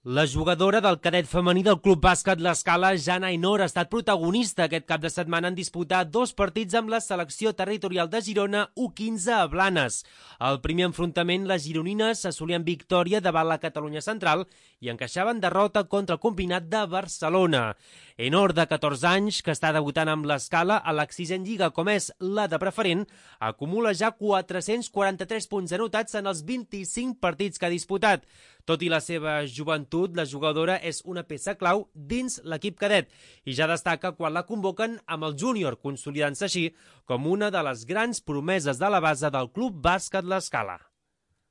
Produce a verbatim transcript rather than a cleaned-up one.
La jugadora del cadet femení del Club Bàsquet L'Escala, Jana Ainor, ha estat protagonista aquest cap de setmana en disputar dos partits amb la selecció territorial de Girona U quinze a Blanes. Al primer enfrontament, les gironines assolien victòria davant la Catalunya Central i encaixaven derrota contra el combinat de Barcelona. Ainor, de catorze anys, que està debutant amb l'Escala a l'exigent lliga com és la de preferent, acumula ja quatre-cents quaranta-tres punts anotats en els vint-i-cinc partits que ha disputat. Tot i la seva joventut, la jugadora és una peça clau dins l'equip cadet i ja destaca quan la convoquen amb el júnior, consolidant-se així com una de les grans promeses de la base del Club Bàsquet L'Escala.